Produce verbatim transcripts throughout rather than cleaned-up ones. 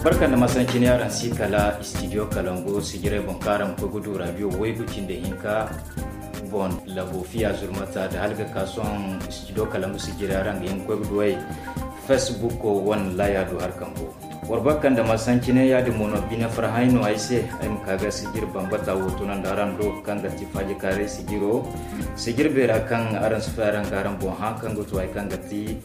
Barka nda masancin yaran si kala studio kalango sijirey boŋ kaŋ araŋ ma koy ga du radio waygu cindi hinka boŋ, labo fiya zurmata da hala ga ka sohõ studio kalango sijirey araŋ ga hin ga koy ga du ay facebook wane laya do hari kambo. War barka nda masancin yaadin mo no bine farhã no ay se. Ay ma ka ga sijiri bambata wo tunandi araŋ do kaŋ ga ti faaji kaaray sijiro, sijiri beera kaŋ araŋ si fay araŋ ga araŋ boŋ hã kaŋ ga to hay kaŋ ga ti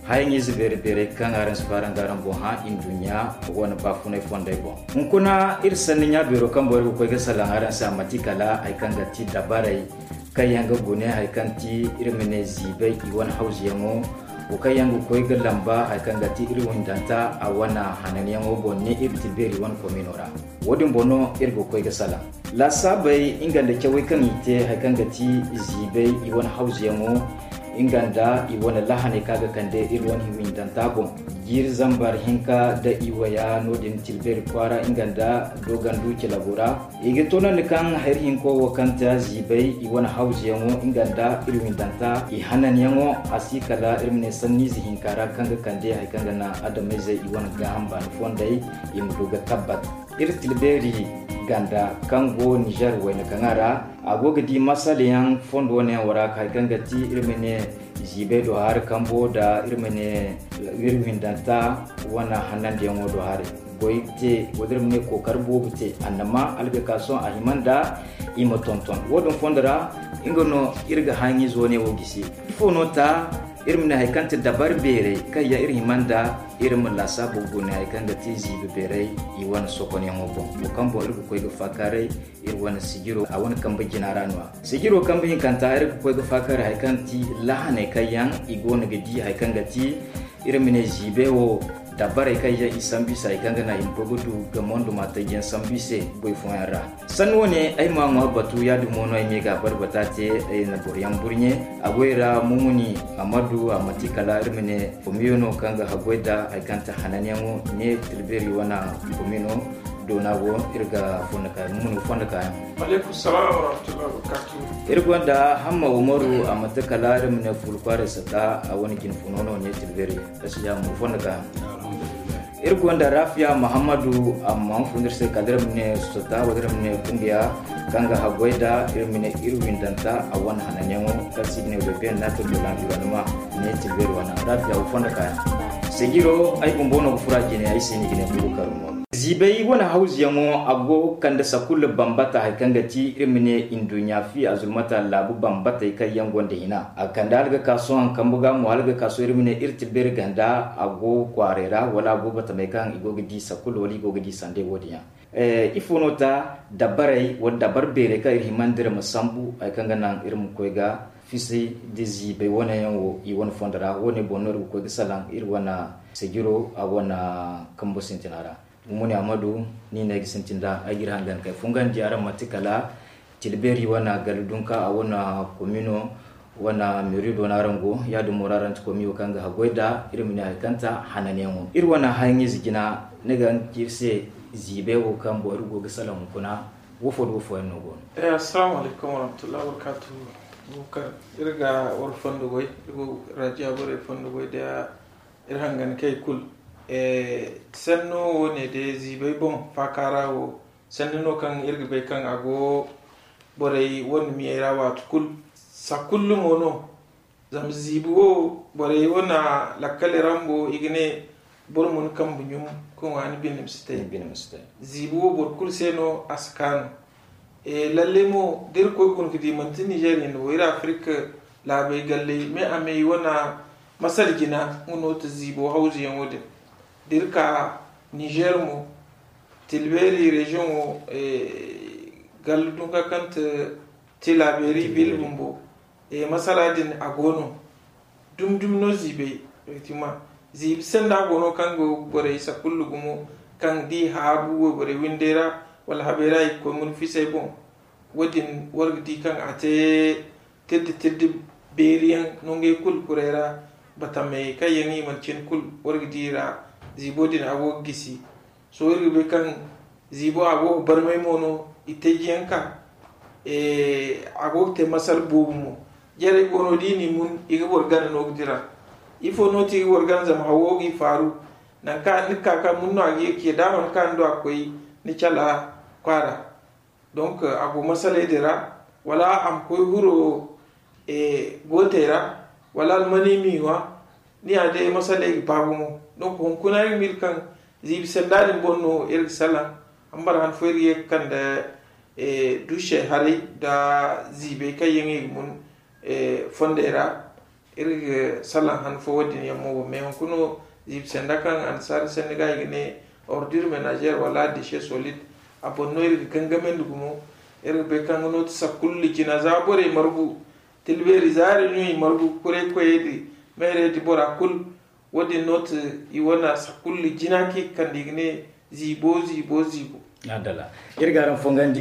hayaŋize beeri beerey kaŋ araŋ si fay araŋ ga araŋ boŋ hã nduɲɲa wane baafunay fondey boŋ. Hunkuna iri sanni ɲa beero kaŋ boŋ iri ga koy ga salaŋ araŋ se a manti kala hari kaŋ ga ti dabarey kaŋ yaŋ ga gune hari kaŋ ti iri ma ne ziibay i wane hawzuyaŋo wo kaŋ yaŋ ga koy ga lamba hari kaŋ ga ti iri windanta a wane hananyaŋo boŋ ne iri tilbeeri wane komino ra. Wo- din boŋ no iri ga koy ga salaŋ laasaabey nga nda cawey kaŋ i te hari kaŋ ga ti ziibay i wane hawzuyaŋo nga nda i wane lahaney kaŋ a ga kande iri wane windanta boŋ. Jiiri zambar hinka nda i waya no- din tilbeeri kwaara nga nda dogandu cilabo ra. I ga toonandi kaŋ hari hinko wo kaŋ te ziibay i wane hawzuyaŋo nga nda iri windanta i hananyaŋo a si kala iri ma ne sanniize hinka ra kaŋ ga kande hari kaŋ ga naŋ adamayzey i wane gaaham baani fondey i ma du ga tabbat. Iri tilbeeri ganda kaŋ go nizer wayna kaŋa ra a go ga di masalayaŋ fondo wane yaŋ wo ra hari kaŋ ga ti iri ma ne ziibay do hari kambo nda iri ma ne iri windanta wane hanandiyaŋo do hari goy te wala iri ma ne kookari boobo te annama algakason a hima nda i ma tonton wo- din fondo ra. Nga no iri ga hayaŋize wane wo gisi ifo no ta iri ma ne hari kaŋ ti dabari beerey kaŋ yaŋ iri hima nda iri ma laasaabu gune hari kaŋ ga ti ziibi beerey i wane sokonyaŋo boŋ wo kaŋ boŋ iri ga koy ga faakaaray iri wane sijiro a wane kambe jina ra no- ya sijiro kambe hinkanta iri ga koy ga faakaaray hari kaŋ ti lahaney kaŋ yaŋ i go no ga di hari kaŋ ga ti iri ma ne ziibey wo dabarey kaŋ yaŋ i sambu i se hari kaŋ ga naŋ i ma koy ga du ga monduma taji yaŋ sambu i se goy fooyaŋ ra. Sanni wane ay ma ŋwa batu yaadin mo no ay ma ye ga a barbata te ay na boro yaŋ burɲe a goy ra mumuni amadu a manti kala iri ma ne komiyo no kaŋ ga haggoy nda hari kaŋ ti hananyaŋo ne tilbeeri wane komino doona go iri ga fondo kaayaŋ mumuni ga fondo kaayaŋ. Iri gonda hamma umaru a manti kala iri ma ne fuulu kwaaray sata a wane jinfuno no ne tilbeeri. Iri gonda rafiya muhammadu amma ma fun iri se kala iri ma ne sota wala iri ma ne kungiya kaŋ ga haggoy nda iri ma ne iri windanta a wane hananyaŋo kaŋ se i ga ne wala beene nato de l'environnement ne tilbeeri wane rafiya wo fondo kaayaŋ. Sijiro ay bumbo no ga furo a jine ay se no i ga ne kuudu karumo. Ziibay wane hawzuyaŋo a go ga kande sakulla bambata hari kaŋ ga ti iri ma ne nduɲɲa fi a zulmata laabu bambatey kaŋ yaŋ gonda hina a ga kande hala ga ka sohõ kambe ga mo hala ga ka sohõ iri ma ne iri tilbeeri ganda a go kwaaray ra wala a go batamey kaŋ i go ga di sakulla wala i go ga di sanday wo- din yaŋ. Ifo no ta dabarey wala dabar beerey kaŋ iri hima nda iri ma sambu hari kaŋ ga naŋ iri ma koy ga fisi nda ziibay wane yaŋ wo i wane fondo ra wo- ne boŋ no iri ga koy ga salaŋ iri wane sijiro a wane kambo sintina ra. Mumuni amadu ni no ay ga sintin da ay ga iri hangan kay fungandi araŋ manti kala tilbeeri wane gallu dunka a wane komino wane meri do no araŋ go ya- din mo ra araŋ ti komiyo kaŋ ga haggoy nda iri ma ne hari kaŋ ta hananyaŋo iri wane hayaŋize jina ni ga iri se ziibay wo kaŋ boŋ iri go ga salaŋ hunkuna wo fo nda wo fooyaŋ no go no. Assalamu alaykum warahmatullahi wabarakatuhu. Iri ga war fondo goy iri go rajiya borey fondo goy da iri hangan kay kulu. Sanno wo- ne day ziibay boŋ faaka ra wo sanni no kaŋ iri ga bay kaŋ a go borey wane miyey ra waati kulu. Sakullu mo no zama ziibi wo borey wane lakkali ra bumbo i ga ne boro ma ni kambe ɲum ka ŋwa ni bine ma si te. Ziibi wo boro kulu se no a si kaanu. Lalle mo da iri koy guna ga di manti nizer hinne wo iri afirika laabey galley me a me i wane masal jina nga no ti ziibo hawzuyaŋo din da iri ka nizer mo tilbeeri reziyoŋo gallu dunka kaŋ ti tilaberi bil bumbo. Masala din a go no dumi dumi no ziibay. Ziibi sanda go no kaŋ go borey sakullu gumo kaŋ da i haabu wayborey windey ra wala habey ra i ga koy mun fisay boŋ. Wo- din war ga di kaŋ a te tirdi tirdi beeri yaŋ no ngey kulu kuray ra batamey kaŋ yaŋ i mana cine kulu war ga di i ra. Ziibo din a go ga gisi. Sohõ iri ga bay kaŋ ziibo a go ga barmay mo no i teeji yaŋ ka a go ga te masal boobo mo. Jarey go no da i n'i mun i ga boro gana no ga dira. Ifo no ti i ga boro gana zama hawo ga i faaru. Nangu kaŋ ni ga ka ka mun no a ga ye ka ye da a mana ka ni do a ga koy ni cala kwaara. Donc a go masaley din ra, wala a ma koy huro gootey ra, wala almaney m'i ŋwa. Ni ya day masaley ga ba gumo. Donc hunkuna iri ma iri kaŋ ziibi sanda din boŋ no iri ga salaŋ. Hambara han fo iri ga ye ga kande duusey haray nda ziibey kaŋ yaŋ i ga mun fondey ra. Iri ga salaŋ han fo wo- din yaŋ mo boŋ mais hunkuna ziibi sanda kaŋ annasaara sanni ga i ga ne ordure ménagère wala déchet solide. A boŋ no iri ga gangamandi gumo. Iri ga bay kaŋ nga no ti sakullu jina za borey margu, tilbeeri zaari no i margu kuray koyey din, meerey din bora kulu. Wo- din no ti i wane sakullu jina kaŋ i ga kande i ga ne ziibo ziibo ziibo. Adala. Iri ga araŋ fongandi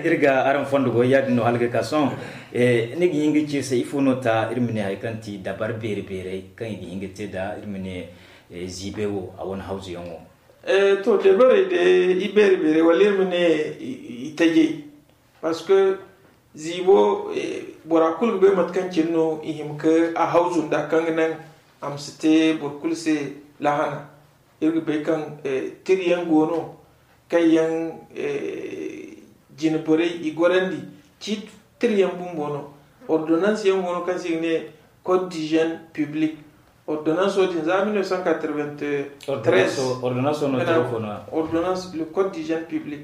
iri ga araŋ fondo goy ya- din no hala ga ka sohõ. Ni ga hin ga ci iri se ifo no ta iri ma ne hari kaŋ ti dabar beeri beerey kaŋ i ga hin ga te nd'a iri ma ne ziibey wo a wane hawzu yaŋ wo? To dabarey day i beeri beerey wala iri ma ne i tajey. Parce que ziibo bora kulu ga bay mate kaŋ cine no i hima ga a hawzu nd'a kaŋ ga naŋ a ma si te boro kulu se lahana. Iri ga bay kaŋ tiri yaŋ go no kaŋ yaŋ jine borey i gorandi. Ciiti tiri yaŋ bumbo no. Ordonnance yaŋ go no kaŋ se i ga ne code d'hygiène public. Ordonnance wo- din za mille neuf cent quatre-vingt-treize. Ordonnance wo no tiro fo no ya? Ordonnance le code d'hygiène public.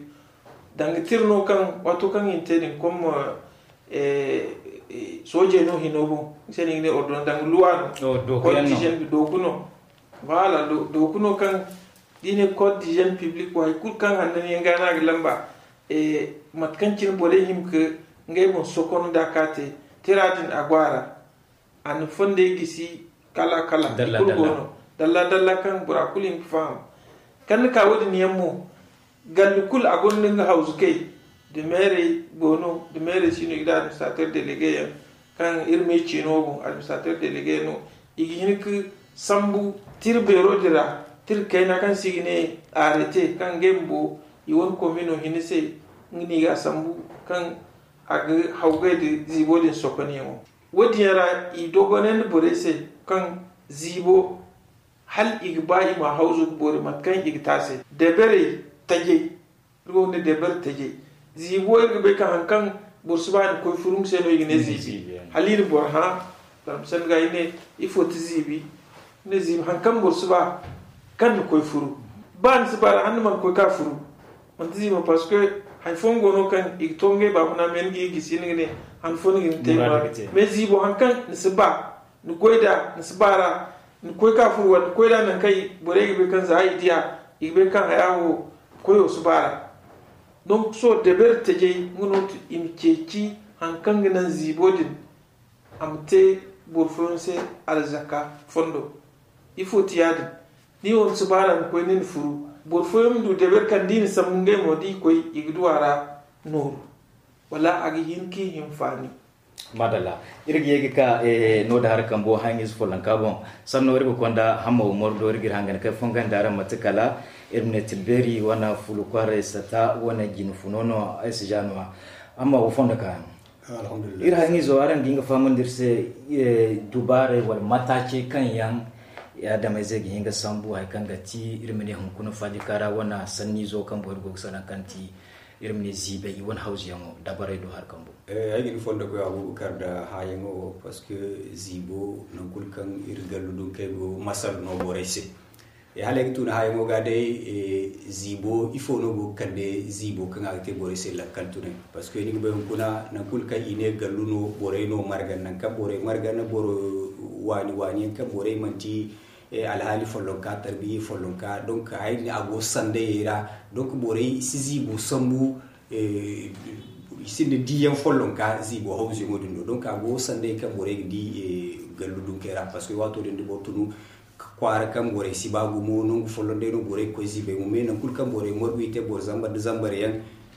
Danga tiri no kaŋ waato kaŋ i na te din comme soojey no hino boŋ. Ni se no i ga ne ordonnance danga luwa no. Code d'hygiène dooku no. Voilà dooku no kaŋ da i ne code d'hygiène public wo hari kulu kaŋ handan yaŋ ga no a ga lamba. Mate kaŋ cine borey hima ga ngey boŋ sokon nd'a ka te tira din a go a ra. A na fondey gisi kala kala i kulu go no. Dalla dalla kaŋ bora kulu hima ga faham. Kaŋ ni ka wo- din yaŋ mo gallu kulu a gonda nga hawzukey. Da meerey go no da meerey si no i ga da administrateur délégué yaŋ kaŋ iri me ciino boŋ administrateur délégué no. I ga hin ga sambu tira beero din ra tira kayna kaŋ se i ga ne arrêté kaŋ ngey bumbo i wane komino hinne se. Nga no i ga a sambu kaŋ a ga hawgay nda ziibo din sokonyaŋo. Wo- din yaŋ ra i dogonandi borey se kaŋ ziibo hala i ga ba i ma hawzu ga boori mate kaŋ i ga te a se. Deberey tajey iri go ga ne deber tajey. Ziibo iri ga bay kaŋ hari kaŋ boro si ba ni koy furu nga se no i ga ne ziibi. Hala i na boro hã zama sanda ga i ne ifo ti ziibi? Ni ne ziibi hari kaŋ boro si ba kaŋ ni koy furu. Ba ni si ba ra hala ni mana koy ka furu. Manti ziibo parce que hari fooyaŋ go no kaŋ i ga to ngey baafuna me ni ga i gisi ni ga ne han fo ni ga ni te. Mais ziibo hari kaŋ ni si ba ni koy nd'a ni si ba ra ni koy ka furu wala ni koy nd'a nangu kaŋ borey ga bay kaŋ za i di a i ga bay kaŋ haya wo koyo si ba ra. Donc sohõ deber tajey nga no ti i ma ceeci hari kaŋ ga naŋ ziibo din a ma te boro fooyaŋ se arzaka fondo. Ifo ti ya- din? Ni wo ni si ba ra ni koy ni na furu boro fooyaŋ ma du deber kaŋ da i na sambu ngey mo da i koy i ga du a ra nooru wala a ga hin ka i hinfaani. Madalla. Iri ga ye ga ka no da hari kambo haŋize follonka boŋ. Sanno iri ga konda hamma umaru do iri ga iri hangan kay fongandi araŋ mate kala iri ma ne tilbeeri wane fulu kwaarey sata wane jine funo no ay si ja no a amma wo fondo ka yaŋ. Iri haŋizo araŋ ga hin ga fahamandi iri se dubaarey wala mataacey kaŋ yaŋ adameyzey ga hin ga sambu hari kaŋ ga ti iri ma ne hunkuna faajika ra wane sanniizo kaŋ boŋ iri go ga salaŋ kaŋ ti iri ma ne ziibay i wane hawzuyaŋo dabarey do hari kambo. Ay ga ni fondo koy abubakar nda haayaŋo parce que ziibo nangu kulu kaŋ iri gallu dunkey go masal no borey se. Hala ay ga tun haayaŋo ga day ziibo ifo no go ga kande ziibo kaŋ a ga te borey se lakkal tunay? Parce que ni ga bay hunkuna nangu kulu kaŋ i ne gallu no borey no margan nangu kaŋ borey margan boro waani waani yaŋ kaŋ borey manti alhaali follonka tarbiyya follonka donc haya din a go sandayey ra. Donc borey si ziibo sambu i sinda diiyaŋ follonka ziibo hawzuyaŋo din do donc a go sanday kaŋ borey ga di gallu dunkey ra parce que waato din da boro tunu kwaara kaŋ borey si ba gumo nangu folloŋ day no borey ga koy ziibay mo mais nangu kulu kaŋ borey margu i te boro zambar nda zambar yaŋ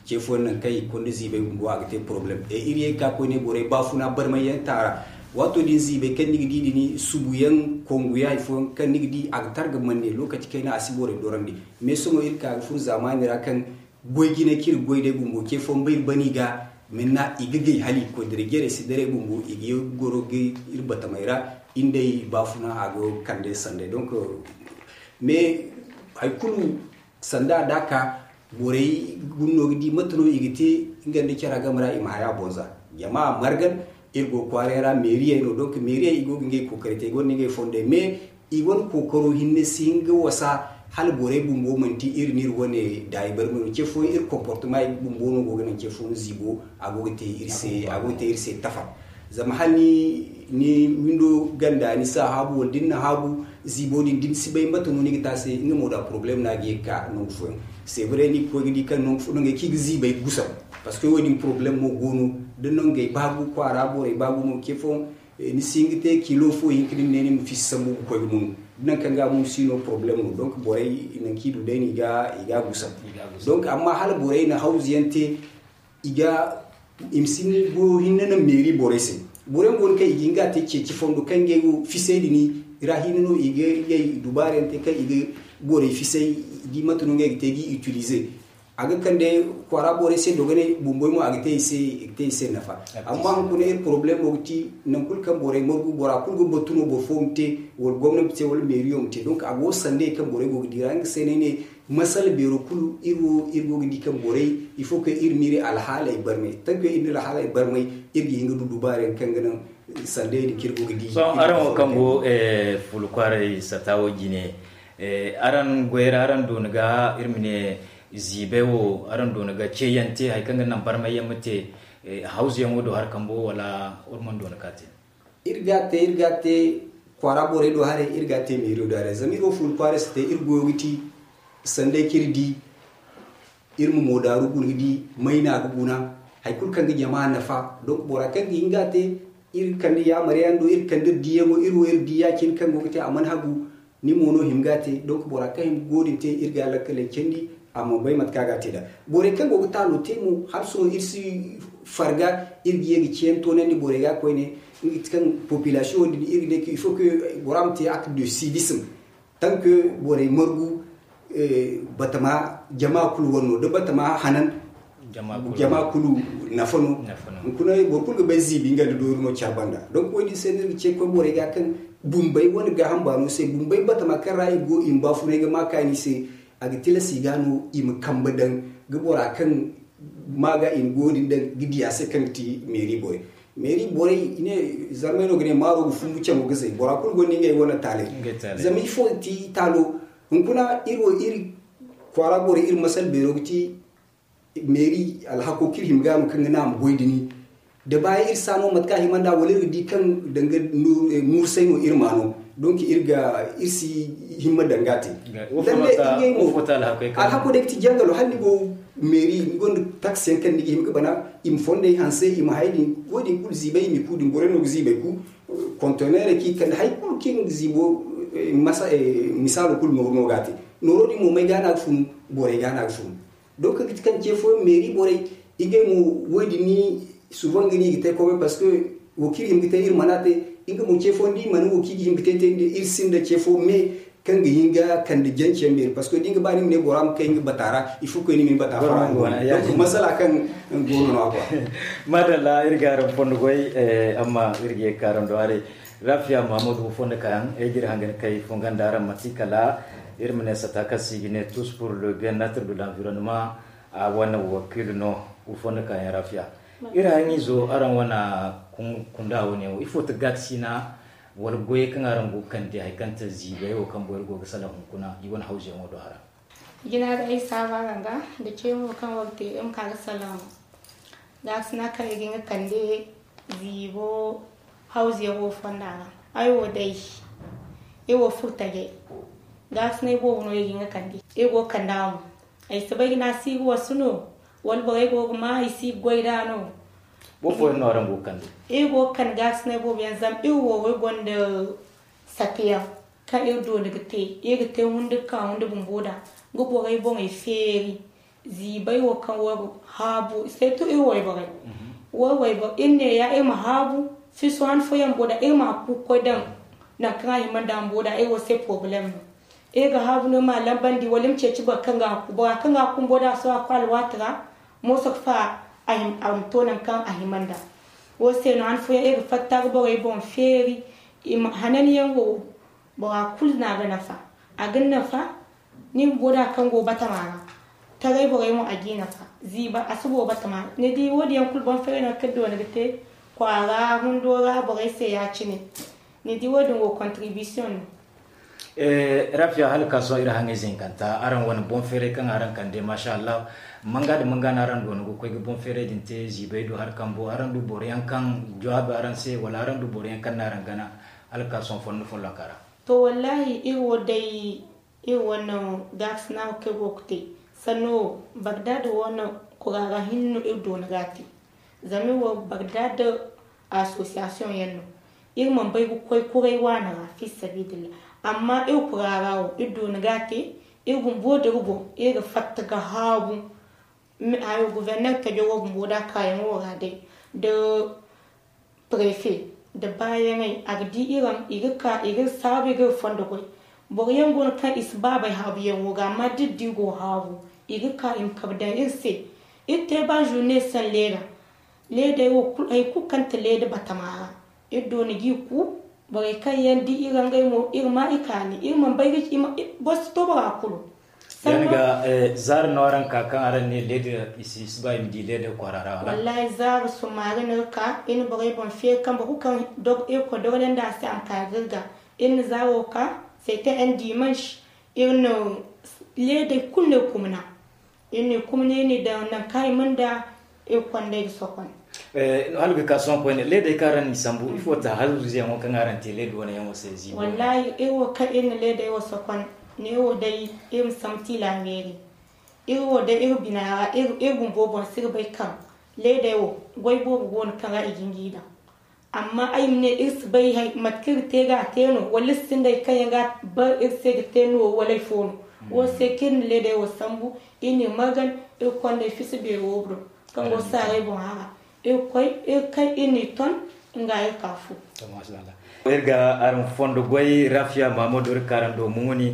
ce fooyaŋ nangu kaŋ i ga konda ziibay bumbo a ga te problème et iri ye ga ka koyne borey baafuna barmay yaŋ taara. Waato din ziibay kaŋ ni ga di din subu yaŋ kongu yaŋ hari fooyaŋ kaŋ ni ga di a ga tar ga manne lokaci kayna a si borey dorandi. Mais sohõ iri ka ga furo zaamaani ra kaŋ goy jine kaŋ iri ga goy day bumbo ce fooyaŋ ba iri bani ga minna i ga gay hala i ga koy dare jarey si daray bumbo i ga ye ga goro ga iri batamey ra. Iri day baafuna a ga kande sanday donc mais Hay kulu sanda da ka borey guna no ga di mate no i ga te nga nda cara game ra i ma haya bonza. Jama margan iri go kwaaray ra meeriyey no, donc meeriyey i go ga ngey kookaray te i gonda ngey fondey mais i wane kookaro hinne si hin ga wasa hala borey bumbo manti iri no iri wane daayi barmay no ce fooyaŋ iri comportement bumbo no go ga naŋ ce fooyaŋ ziibo a go ga te iri se a go ga te iri se tafa. Zama hala ni windo ganda ni si a haabu wala da ni na haabu ziibo din da ni si bay mate no ni ga te a se nga mo da problème no a ga ye ga ka nangu fooyaŋ. C'est vrai ni ga koy ga di kaŋ nangu fo nangey kaŋ i ga ziibay ga gusam. Parce que wo- din problème mo go no da nangey baagu kwaara borey baagu no ce fooyaŋ ni si hin ga te kilo fo hinka da ni ne ni ma fiisa sambu ga koy ga munu da nangu kaŋ ga a munu si no problème no donc borey nangu kaŋ i du day no i ga a gusam. Donc amma hala borey na hawzu yaŋ te i ga i ma si ni go hinne naŋ meeri borey se. Borey go no kaŋ i ga hin ga a te ceeci fondo kaŋ ngey go fisay din ra hinne no i ga ngey dubaara yaŋ te kaŋ i ga borey fisay i di mate no ngey ga te ga i utiliser. A ga kande kwaara borey se dogonay bumboy mo a ga te i se nafa. Amma hunkuna iri problemo ga ti nangu kulu kaŋ borey margu bora kulu ga batu no boro fo ma te wala gomna ma te wala meeriyo ma te donc a go sandey kaŋ borey go ga di ra nga se no ay ne masala beero kulu iri wo iri go ga di kaŋ borey il faut que iri ma iri alhaaley barmay tant que iri na iri alhaaley barmay iri ga hin ga du dubaara yaŋ kaŋ ga naŋ sandey din kaŋ iri go ga di. Sohõ araŋ wo kaŋ go fuula kwaaray sata wo jine, araŋ goy ra araŋ doona ga iri ma ne ziibay wo araŋ doona ga ceeyaŋ te hari kaŋ ga naŋ barmay yaŋ ma te hawzu yaŋo do hari kambo wala wala mana doona ka te? Iri ga a te iri ga a te kwaara borey do haray iri ga a te meeriyo do haray zama iri wo fuula kwaaray si te iri goyo ga ti sanday kaŋ iri di iri ma moodaaru guna ga di may no a ga guna hari kulu kaŋ ga jama nafa. Donc bora kaŋ ga hin ga a te iri kande yaamar yaŋ do iri kande iri diyaŋo iri wo iri di ya- cine kaŋ go ga te a mana hagu ni mo no hima ga a te donc bora kaŋ hima ga go- din te iri ga a lakkaley candi a mana bay mate kaŋ a ga a te nd'a. Borey kaŋ go ga taalo te mo hala sohõ iri si farga iri ga ye ga ciyaŋ toonandi borey ga koyne nga ti kaŋ population wo- din iri ga ne kaŋ il faut que bora ma te acte de civisme tant que borey margu batama jama kulu wane no da batama hanan jama kulu nafa no. Hunkuna boro kulu ga bay ziibi nga nda doori no care banda donc wo- din se no iri ga ce koy borey ga kaŋ bumbey wane gaaham baano se bumbey batama kaŋ ra i go i ma baafunay ga ma kaani se a ga tilas i ga no i ma kambe daŋ ga bora kaŋ ma ga i ma go- din daŋ ga di a se kaŋ ga ti meeri borey. Meeri borey i ne zarmay no ga ne maaro ga fumbu caŋo ga zay bora kulu gonda ngey wane taaley. Zama ifo ga ti taalo hunkuna iri wo iri kwaara borey iri masal beero ga ti meeri alhako kaŋ iri hima ga no kaŋ ga naŋ a ma goy dini da baayaŋ iri si a no mate kaŋ a hima nd'a wala iri ga di kaŋ danga muursay no iri ma no donc iri ga iri si himma danga te. Lalle ngey mo alhako day ga ti jangalo hala ni go meeri ni gonda taksi yaŋ kaŋ ni ga hima ga bana i ma fondey hanse i ma hay din wo- din kulu ziibay i ma i ku din borey no ga ziibay ku kontoneerey kaŋ i kande hari kulu kaŋ iri ga ziibo misaalo kulu nooru no ga a te. Nooro din mo may ga no a ga funu borey ga no a ga funu. Donc ga ti kaŋ ce fooyaŋ meeri borey ngey mo wo- din ni suban ga no i ga te komey parce que wo kaŋ iri hima ga te iri mana te nga mo ce fooyaŋ da i mana wo kaŋ i ga hima ga te te iri sinda ce fo me kaŋ ga hin ga kande janceyaŋ beeri parce que da nga ba ni ma ne bora ma kay nga bata ra il faut que ni ma ni bata fara. Donc masala kaŋ go no no a go. Madalla iri ga araŋ fondo goy amma iri ga ye ga ka araŋ do haray. Rafiya mahammadu wo fondo kaayaŋ ay ga iri hangan kay fonga nda araŋ manti kala iri ma ne sata kaŋ se i ga ne tous pour le bien être de l'environnement. A wane wakiilu no wo fondo kaayaŋ rafiya. Iri hayaŋizo araŋ wane kunda wane wo ifo ti gaakasina wala goyey kaŋ araŋ go ga kande hari kaŋ te ziibay wo kaŋ borey go ga salaŋ hunkuna i wane hawzuyaŋo do hara. Jina ga ay saaba araŋ ga nda ceemo kaŋ war te iri ma ka ga salaŋ gaakasina kaŋ i ga hin ga kande ziibo hawzuyaŋo fonda ra. Ay wo day iri wo furo tajay gaakasinay boobo no i ga hin ga kande iri go ga kande a mo. Ay si bay ga ne a si ga wasu no wala borey go ga ma i si ga goy nd'a no? Boro fooyaŋ no araŋ go ga kande? Iri go ga kande gaakasinay boobo yaŋ zama iri wo iri gonda satiyaŋ kaŋ iri dooni ga te iri ga te hundi ga ka hundi bumbo nd'a ga borey boŋey feeri. Ziibay wo kaŋ wo ga haabu seetu iri wayborey. Wo wayboro iri neeya iri ma haabu fiso han fooyaŋ bumbo nd'a iri ma hakku ga koy daŋ nangu kaŋ a hima nd'a bumbo nd'a iri wo se porobalem no. Iri ga haabu no iri ma a lambandi wala iri ma ceeci boro kaŋ ga hakku bora kaŋ ga hakku bumbo nd'a sohõ a koy alwaati ra mooso ga fa a ma to nangu kaŋ a hima nd'a. Wo se no han fooyaŋ iri ga fatta ga borey boŋ feeri. Hananyaŋ wo bora kulu no a ga nafa. A ga ni nafa Ni bumbo da kaŋ go batama ra, taray borey mo a g'i nafa. Ziiba a si boro batama ra. Ni di wo- din yaŋ kulu boŋ feeray no kaŋ doona ga te kwaara hundo ra borey se ya- cine. Ni di wo- din wo kontiribisiyoŋ no. Rafiya hala ka sohõ iri haŋay zinkanta araŋ wane boŋ feeray kaŋ araŋ kande masha allah. Manga nda manga no araŋ doona ga koy ga boŋ feeray din te ziibay do hari kambo araŋ du boro yaŋ kaŋ jawaabi araŋ se wala araŋ du boro yaŋ kaŋ no araŋ gana hala ka sohõ fondo follonka ra. To wallahi iri wo day iri wane gaakasinaaru kaŋ iri go ga te sanno wo bagdaad wane kura ra hinne no iri doona ga a te. Zama iri wo bagdaad asosiyasiyoŋ yaŋ no. Iri mana bay ga koy kuray waani ra fi sabiidillah. Amma iri kura ra wo iri doona ga a te. Iri bumbo da iri boŋ iri ga fatta ga haabu. Hayo guverner tajo wo bumbo da kaayaŋo ra day da prefe nda baayaŋey a ga di iraŋ i ga ka i ga saabu i ga iri fondo goy. Boro yaŋ go no kaŋ i si baabey haabuyaŋo ga amma da iri di go haabu i ga ka i ma kabe daŋ iri se. Iri te ba zurne saŋ leeda. Leedey wo kulu hari kulu kaŋ ti leeda batama ra iri doona g'i ku. Borey kaŋ yaŋ di iri ra ngey mo iri ma i kaani iri mana bay ga ci boro si to bora kulu. Yaŋ ga zaari no araŋ ka kaŋ araŋ ne leeda i si ba i ma di leeda kwaara ra wala? Wallahi zaari sumaari no iri ka iri na borey boŋ feeri kaŋ boro kulu kaŋ irkoy dogonandi a se a ma ka ga iri ga. Iri na zaaro ka, sete en dimanche iri na leedey kulu no iri kumna. Iri n'i kumni iri n'i daŋ nangu kaŋ i mana da iri konda iri sokon. Hala ga ka sohõ koyne leedey kaŋ araŋ n'i sambu ifo ta halruzeyaŋo kaŋ araŋ te leeda wane yaŋo se ziibo? Wallahi iri wo kaŋ iri na leedey wo sokon, neewo day iri ma sambu tiila meeri. Iri wo day iri bina ra iri bumbo boŋ si ga bay kaŋ leedey wo goy boobo go no kaŋ ra i ga hin g'i daŋ. Amma ay ma ne iri si bay mate kaŋ iri ga te ga a te no wala iri sinda hari kaŋ yaŋ ga a bar iri se ga te no wala hari fo no. Wo se kaŋ iri na leedey wo sambu iri n'i margan iri kondey fisi beero wo do kaŋ go saaray boŋ hara. Iri koy iri kay iri n'i ton nga iri ka fu. Iri ga araŋ fondo goy rafiya mahamadu iri ka araŋ do muŋuni.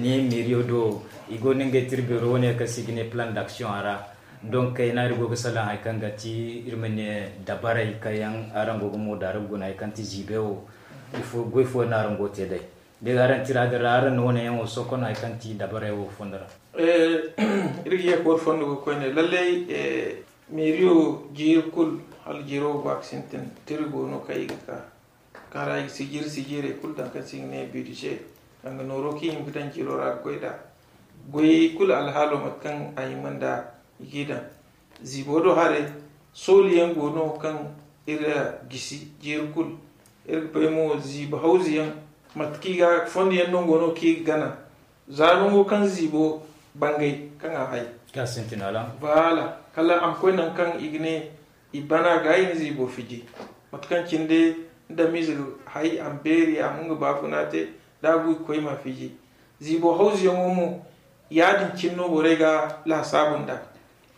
Ni miriyo do i go no ngey tira beero wane kaŋ se i ga ne plan d'action a ra. Donc kayna iri go ga salaŋ hari kaŋ ga ti iri ma ne dabarey kaŋ yaŋ araŋ go ga moodaara guna hari kaŋ ti ziibey wo. Goy fooyaŋ no araŋ go ga te day da araŋ tira din ra araŋ na wane yaŋ wo sohõ no hari kaŋ ti dabarey wo fondo ra. Iri ga ye ga war fondo ga koyne lallay. Meeriyo jiiri kulu hala jiiro wo ba ga sintin tira go no kaŋ i ga ka kaŋ ra i ga sijiri sijiirey kulu daŋ kaŋ se i ga ne bidize kaŋ ga nooro kaŋ i hima ga daŋ jiiro ra ga goy nd'a. Goyey kulu alhaalo mate kaŋ a hima nd'a i g'i daŋ. Ziibo do haray sooli yaŋ go no kaŋ iri gisi jiiri kulu. Iri ga bay mo ziibo hawzu yaŋ mate kaŋ i ga fondo yaŋ no go no kaŋ i ga gana. Za nango kaŋ ziibo bangay kaŋ a hay. Kaŋ a sintin a ra. Voilà kala a ma koy nangu kaŋ i ga ne i bana ga i na ziibo fiji. Mate kaŋ cine day ni damize ga hay a ma beeri a ma nga baafuna te da a bu i ga koy i m'a fiji. Ziibo hawzuyaŋo mo ya- din cine no borey ga laasaabu nd'a.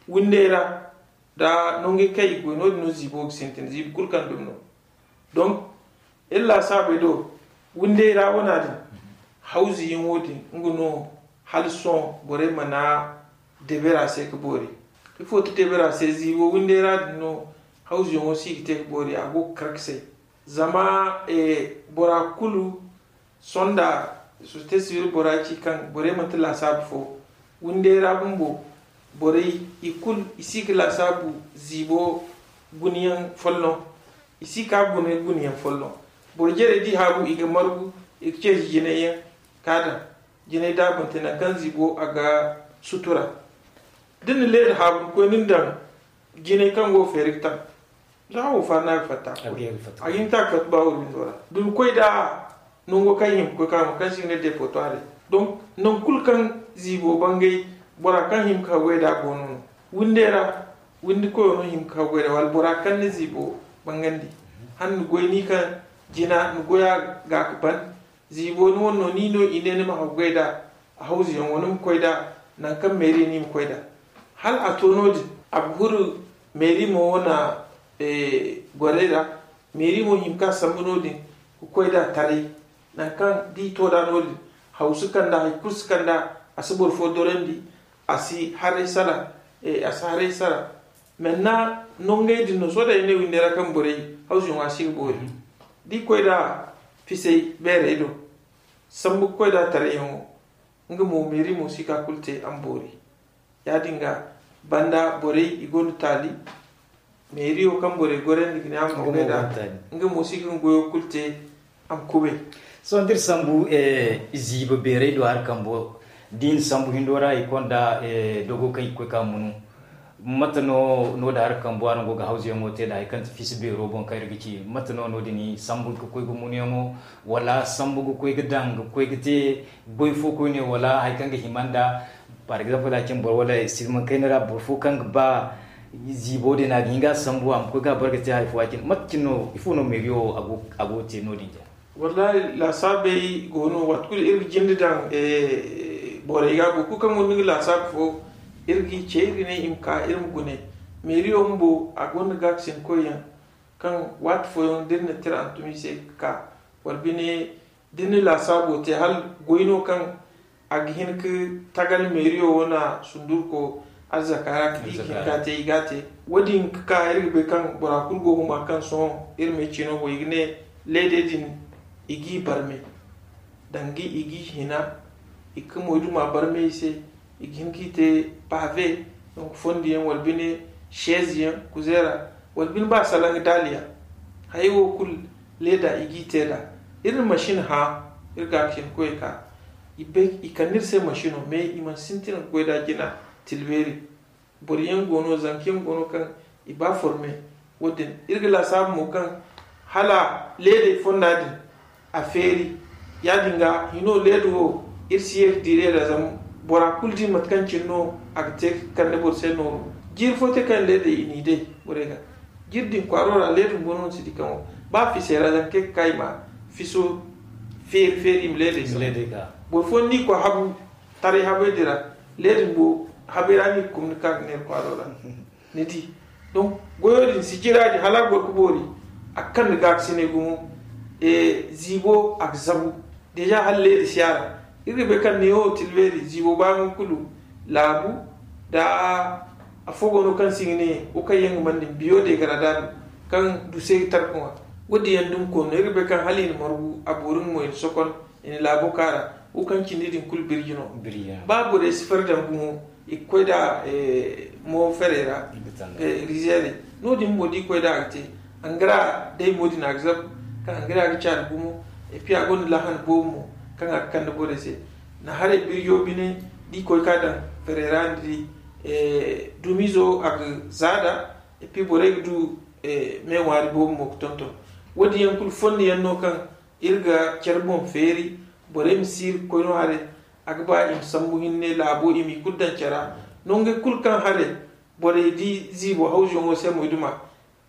Windey ra da nangey kaŋ i ga goy no- din no ziibo ga sintin ziibo kulu kaŋ dumi no. Donc iri laasaabey do windey ra wana din hawzuyaŋo din nga no hala sohõ borey mana debera se ga boori. Ifo ti debera se ziibo windey ra din no hawzuyaŋo si ga te ga boori a go ga kar ga say. Zama bora kulu sonda société civile bora ci kaŋ borey manti laasaabu fo. Windey ra bumbo borey i kulu i si ga laasaabu ziibo gunayaŋ folloŋ. I si ka gune gunayaŋ folloŋ. Boro jarey da i haabu i ga margu i ga ceeci jinay yaŋ ka daŋ. Jinay daabante nangu kaŋ ziibo a ga sutura. Da ni na leeda haabu ni koy ni na daŋ jinay kaŋ go feeri ga taŋ. Za wo faani a ga fatta a ga hin ka a ga fatta ba wuri windo ra da ni koy da nango kaŋ i hima ga koy ka ma kaŋ se i ga ne depotoire. Donc nangu kulu kaŋ ziibo bangay bora kaŋ hima ga haggoy da a go no no. Windey ra windi koyo no hima ga haggoy da wala bora kaŋ na ziibo bangandi. Hala ni goy ni kaŋ jina ni goya ga ga ban. Ziibo ni wane no ni no i ne ni ma haggoy da a hawzuyaŋo ni ma koy da nangu kaŋ meeri no i ma koy da. Hala a to no- din a ga huru meeri mo wane gorey ra. Meeri mo hima ka sambu no- din ga koy da taray. Nangu kaŋ da i to da no- din haw si kand'a hari kulu si kand'a. A si boro fo dorandi. A si haray sara. A si haray sara. Menne nongey din no sohõ day ay ne windey ra kaŋ borey hawzuyaŋo a si ga boori. Da i koy da fisay beerey do sambu ga koy da tarayyaŋo. Nga mo meeri mo si ka kulu te a ma boori. Ya- din ga banda borey i gonda taali. Meeriyo kaŋ borey gorandi ga ne a ma boori da nga mo si ga nga goyo kulu te a ma kubay. Sohõ da iri sambu ziiba beeray do hari kambo da i na sambu hindo ra i konda dogo kaŋ i ga koy ka munu. Mate no no da hari kambo araŋ go ga hawzuyaŋo te da hari kaŋ ti fiisi beero boŋ kaŋ iri ga ci mate no no- din sambu ga koy ga munuyaŋo wala sambu ga koy ga daŋ ga koy ga te goy fo koyne wala hari kaŋ ga hima nda? Par exemple a cine boro wala silmaŋ kayna ra boro fo kaŋ ga ba ziibo din a ga hin ga a sambu a ma koy ga a bare ga te hari fo a cine mate cine no ifo no meeriyo a go ga te no- din jina? Wallahi laasaabey go no waati kulu iri ga jinde daŋ borey ga boro kulu kaŋ gonda nga laasaabu fo iri ga i ce iri ga ne i ma ka iri ma gune. Meeriyo bumbo a gonda gaakasin koyyaŋ kaŋ waati fooyaŋ da iri na tira hantum i se ga ka wala bine da iri na laasaabo te hala goy no kaŋ a ga hin ga tagal meeriyo wane sundurko arzaka ra ga di ga hin ga te i ga a te. Wo- din ga ka iri ga bay kaŋ bora kulu go ga ma kaŋ sohõ iri ma ay ciino boŋ i ga ne leedey din i g'i barmay danga i g'i hina i ga moyduma barmay i se. I ga hin ga i te paave, donc fondiyaŋ wala bine seeziyaŋ kuzeera wala bine ba salaŋ ga daaliya. Hayey wo kulu leeda i g'i te nd'a. Iri na masin hã iri ga ga cine koyey ka i bay i kande iri se masino mais i mana sintin ga goy nd'a jina. Tilbeeri boro yaŋ go no zanka yaŋ go no kaŋ i ba forme. Wo- din iri ga laasaabu mo kaŋ hala leedey fonda din a feeri. Ya- din ga hino leeda wo iri si ye ga diire nd'a zama bora kulu di mate kaŋ cine no a ga te ga kande boro se nooru. Jiiri fo te kaŋ leedey i n'i day borey ga jiiri din kwaaro ra leeda bumbo no ni si di kaŋo ba fisey ra zama kay ga ka i ma fiso feeri feeri i ma leedey sambu. Boro fooyaŋ no i koy habu taray habey din ra leeda bumbo habey ra no i ga kumni ka ga neera kwaaro ra. Ni di donc goyo din sijira din hala a goro ga boori a ga kande gaakasiney gumo. Ziibo a ga zabu deja hala leeda si a ra. Iri ga bay kaŋ neewo tilbeeri ziibo ba nga kulu laabu da afo go no kaŋ si ga ne wo kaŋ yaŋ ga mande biyo degaradaado kaŋ duse ga tarka ŋwa. Wo- din yaŋ dumi koonu no iri ga bay kaŋ hala i na margu a boori nga mo i na sokon i na laabo ka ra. Wo kaŋ cindi din kulu birji no. Ba borey si fari daŋ gumo i ga koy nd'a mo ferey ra. Rizeerey no- din bumbo da i koy nd'a a ga te angara day mo din a ga zabu kaŋ angara ga caani gumo. Epi a gonda lahan boobo mo kaŋ a ga kande borey se. Na haray birjo bine da i koy ka daŋ ferey ra ni di dumizo a ga zaada. Epi borey ga du me ŋwaari boobo mo ga tonton. Wo- din yaŋ kulu fondo yaŋ no kaŋ iri ga care boŋ feeri borey ma si iri ga koy no haray. A ga ba i ma sambu hinne laabo i m'i kulu daŋ cara. Nongey kulu kaŋ haray borey di ziibo hawzuyaŋo se moyduma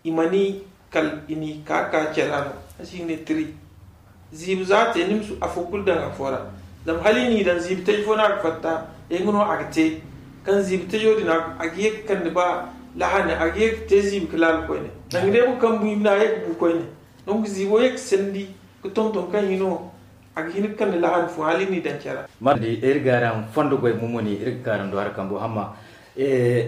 i ma ni kal i n'i ka ka care a no. A si ga ne tiri ziibi za a te ni ma si afo kulu daŋ afo ra. Zama hala i n'i daŋ ziibi taji fo no a ga fatta. Nga no a ga te kaŋ ziibi tajo din a ga ye ga kande ba lahane a ga ye ga te ziibi ga laala koyne. Danga day boro kaŋ bu i ma ne a ye ga bu koyne. Donc ziibo ye ga sandi ga tonton kaŋ hino a ga hin ga kande lahane fo hala i n'i daŋ care ra. Mardi iri ga araŋ fondo goy mumuni iri ga ka araŋ do hari kambo hamma.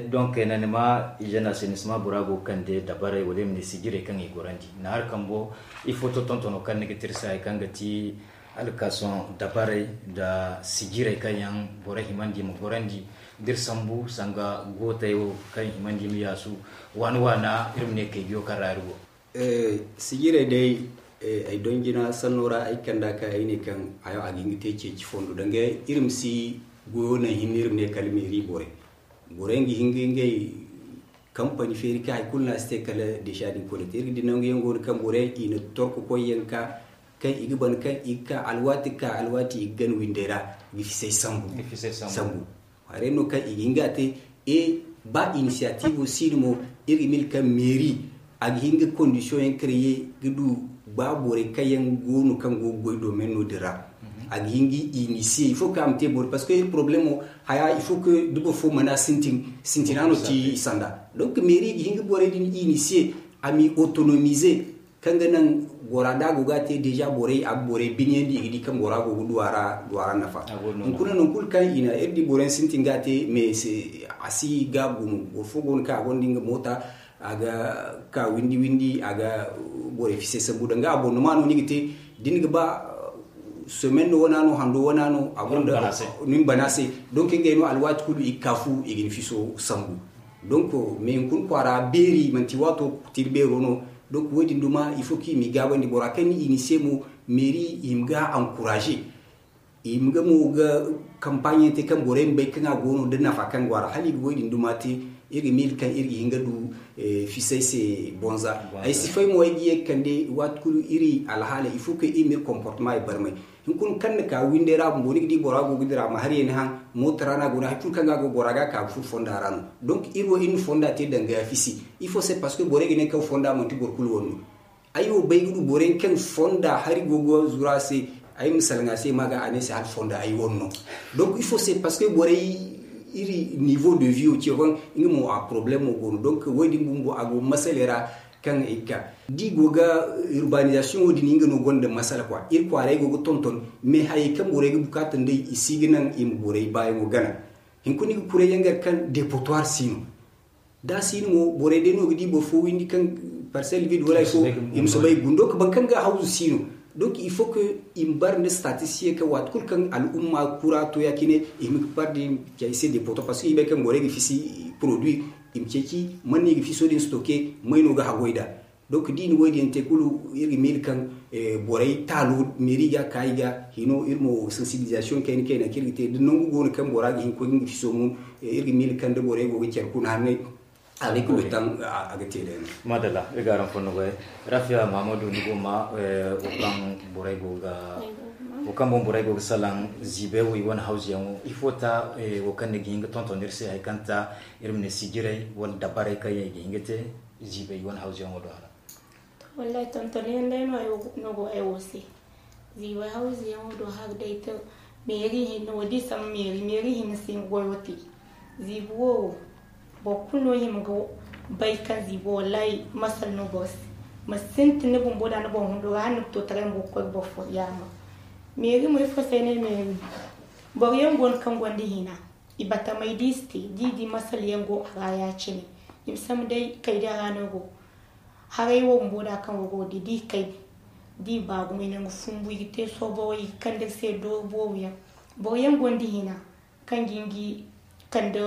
Donc nanima i jana se ni si ma bora go ga kande dabarey wala i ma ne sijirey kaŋ i gorandi na hari kambo. Ifo to tontono kaŋ ni ga tirsa hari kaŋ ga ti alkason dabarey nda sijirey kaŋ yaŋ boro himandi ma gorandi da iri sambu sanga gootey wo kaŋ himandi ma yaasu waana waana iri ma ne kaydiyo kaŋ ra iri go. Sijirey day ay donjina sanno ra ay kanda ka ay ne kaŋ a ga hin ga te ceeci fondo danga iri ma si goyo naŋ hinne iri ma ne kala meeri borey. Borey ga hin ga ngey kampani feeri kaŋ hari kulu no a si te kala deesa din koy da te iri ga di nangu yaŋ go no kaŋ borey i na torko koy yaŋ ka kaŋ i ga ban kaŋ i ga ka alwaati ga ka alwaati i ga gana windey ra ga fisay sambu. Sambu haray no kaŋ i ga hin ga a te. E ba inisiyatiivo si no mo iri ga mil kaŋ meeri a ga hin ga kondisiyoŋ yaŋ kare ye ga du ba borey kaŋ yaŋ go no kaŋ go ga goy domen no din ra. A ga hin ga inisiyey ifo kaŋ a ma te boro parce que iri problemo haya ifo ke da boro fo mana sintin sintina no ti i sanda. Donc meeri ga hin ga borey din inisiye a m'i otonomize kaŋ ga naŋ gora da a go ga te deja borey a ga borey biniyandi i ga di kaŋ gora go ga duwara duwara nafa. Hunkuna non kulu kaŋ i na iri di boroyaŋ sintin ga te mais a si ga gumo boro fo go no kaŋ a gonda nga moota a ga ka windi windi a ga borey fise sambu danga abonnement no ni ga te da ni ga ba Semaine no wana no, hando wana no, a gonda nin bana se. Donc ngey no alwaati kulu i ga ka fu i ga ni fiso sambu. Donc mais hunkuna kwaara beeri manti waato tira beero no. Donc wo- din duma il faut que i m'i gaabandi bora kaŋ ni i ni se mo, mairie i ma ga encourager, i ma ga mo ga campagne te kaŋ borey ma bay kaŋ a go no da nafa kaŋ go a ra hala i ga wo- din duma te. Iri ga miila kaŋ iri ga hin ga du fisay se bonza. Ay si fay mo ay ga ye ga kande waati kulu iri alhaala il faut que iri ma iri comportement ay barmay. Hunkuna kaŋ na ka windey ra bumbo ni ga di bora go ga dira ma har ye ni haŋ, mooto ra no a go no hari kulu kaŋ ga go bora ga ka ga furo fonda ra no. Donc iri wo iri na fonda te danga fisi. Il faut c'est parce que borey ga ne kaŋ fonda manti boro kulu wane no. Ay wo bay ga du borey kaŋ fonda hari go ga zuru a se. Ay ma salaŋ a se ma ga a ne se hala fonda ay wane no. Donc il faut c'est parce que borey iri niveau de vie wo ce hon nga mo a problème wo go no. Donc wo- din bumbo a go masaley ra kaŋ i ga ka da i go ga urbanisation wo- din nga no gonda masala quoi. Iri kwaaray go ga tonton mais hayey kaŋ borey ga bukaata nd'ey i si ga naŋ i ma borey baayaŋo gana. Hinkuna i ga kuray yaŋ gar kaŋ dépotoir si no. Da a si no mo borey day no ga di boro fo windi kaŋ parcelle vide wala hay fo i ma soobay ga gundoo ka ban kaŋ ga hawzu si no. Donc il faut que i ma bar nda statisticien kaŋ waati kulu kaŋ al'umma kura to ya- cine i ma bar da i ma cay se dépotoir parce que i bay kaŋ borey ga fisi produit i ma ceeci man no i ga fiso din stocker may no ga hagoy da. Donc da i na wo- din yaŋ te kulu iri ga miila kaŋ borey taalo mairie ga ka i ga hino iri mo sensibilisation kayna kayna kaŋ iri ga te da nangu go no kaŋ bora ga hin ga koy ga nga fiso mun. Iri ga miila kaŋ da borey go ga care kuna hanney a ga kulu taŋ a ga te day no. Madalla iri ga araŋ fondo goy. Rafiya mahamadu ni go ma wo kaŋ borey go ga wo kaŋ boŋ borey go ga salaŋ ziibey wo i wane hawzuyaŋo ifo ta wo kaŋ ni ga hin ga tonton iri se hari kaŋ ta iri ma ne sijirey wala dabarey kaŋ yaŋ i ga hin ga te ziibey i wane hawzuyaŋo do hala. To wallahi tonton yaŋ day no ay wo no go ay wo se. Ziibey hawzuyaŋo do hala day to meeri hinne wo da i sambu meeri meeri hinne si nga goyo te. Ziibi wo wo boro kulu no hima ga bay kaŋ ziibi wo wallahi masal no boro se. Ma sintin ni bumbo da ni boŋ hundo ga hala ni ga to taray ma go ga koy ga boro fo yaama. Meeri mo ifo se ay ne meeri boro yaŋ go no kaŋ gonda hina i batamay da i si te da i di masal yaŋ go a ra ya- cine. I ma sambu day kay da ra no go haray wo bumbo da kaŋ go go di da i kay da i ba gumo i nangu fumbu i ga te sooboro i ga kande iri se dooru booru yaŋ. Boro yaŋ gonda hina kaŋ ga nga kande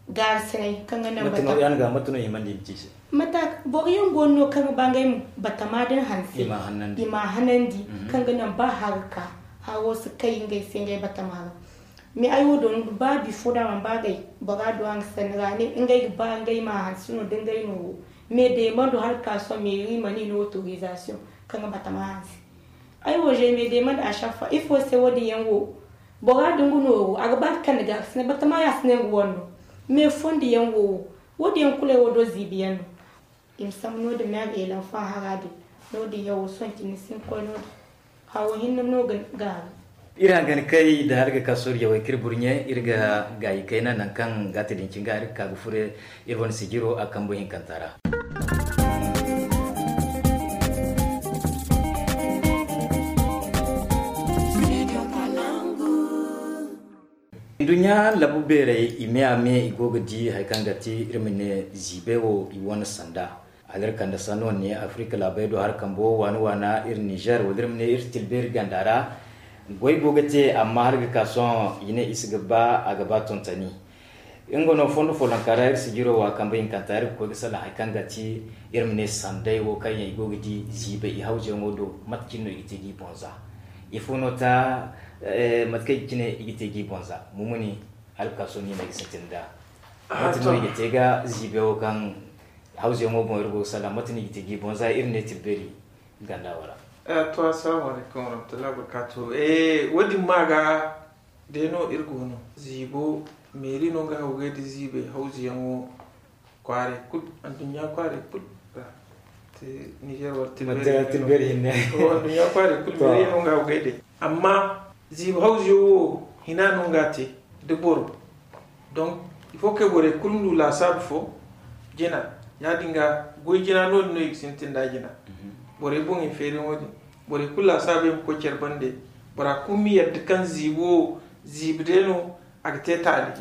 gaarasinay kaŋ ga naŋ bata. Mate no himandi i ma ci se? Mata boro yaŋ go no no kaŋ ga ba ngey ma batama din hanse i ma hanandi kaŋ ga naŋ ba haro ka haro si kay ngey se ngey batama ra. Mais ay wo do ba bifo da man ba gay bora do a ga sanni ra ne ngey ga ba ngey ma hanse no da ngey no wo. Mais demando hala ka sohõ meeri mana i no autorisation kaŋ ga batama hanse. Ay wo je mais demando a chaque fois ifo se wo- din yaŋ wo bora da nga nooru a ga ba ga kande gaarasinay batama ya si ne nga wane no. Mais fondo yaŋ wo wo wo- din yaŋ kulu ay wo do ziibi yaŋ no. I ma sambu no- din meeri elanfan hara din no- din yaŋ wo sohõ cine ni si hin ga koy no- din. Hawo hinne no ga gaaru. Iri hangan kay da hala ga ka soori yawey kaŋ iri burɲe iri ga gaayi kayna nangu kaŋ gaati din cin ga iri ga ka ga furo iri wane sijiro a kambu hinkanta ra. Nduɲɲa labu beerey i me a me i go ga di hari kaŋ ga ti iri ma ne ziibey wo i wane sanda. Hala iri kande sanno ne afirika laabey do hari kambo waana waana iri nizer wala iri ma ne iri tilbeeri ganda ra. Goy go ga te amma hala ga ka sohõ i ne i si ga ba a ga ba tontoni. Nga no fondo follonka ra iri sijiro wa kambe hinkanta iri ga koy ga salaŋ hari kaŋ ga ti iri ma ne sanday wo kaŋ yaŋ i go ga di ziibay i hawzuyaŋo do mate cine no i ga te ga i boŋ za? Ifo no ta mate kaŋ cine i ga te ga i boŋ za? Mumuni hala ga ka sohõ ni no i ga sintin da mate no i ga te ga ziibay wo kaŋ hawzuyaŋo boŋ iri go ga salaŋ mate no i ga te ga i boŋ za iri ne tilbeeri ganda wara? To assalamu alaikum warahmatullahi wabarakatuh. Wo- din ma ga day no iri go no ziibo meeri no nga hawgay da ziibay hawzuyaŋo kwaaray kulu anduɲɲa kwaaray kulu ra. Te nizer wala tilbeeri hinne. Anduɲɲa kwaaray kulu meeri no nga hawgay day amma ziibo hawzuyaŋo wo hina no nga te da boro. Donc il faut que borey kulu ma du laasaabu fo jina. Ya- din ga goy jina no- din no i ga sintin da jina. Borey boŋey feeriyaŋo din borey kulu laasaabu yaŋ ma koy care bande. Bora kulu ma yadda kaŋ ziibo wo ziibi day no a ga te taali.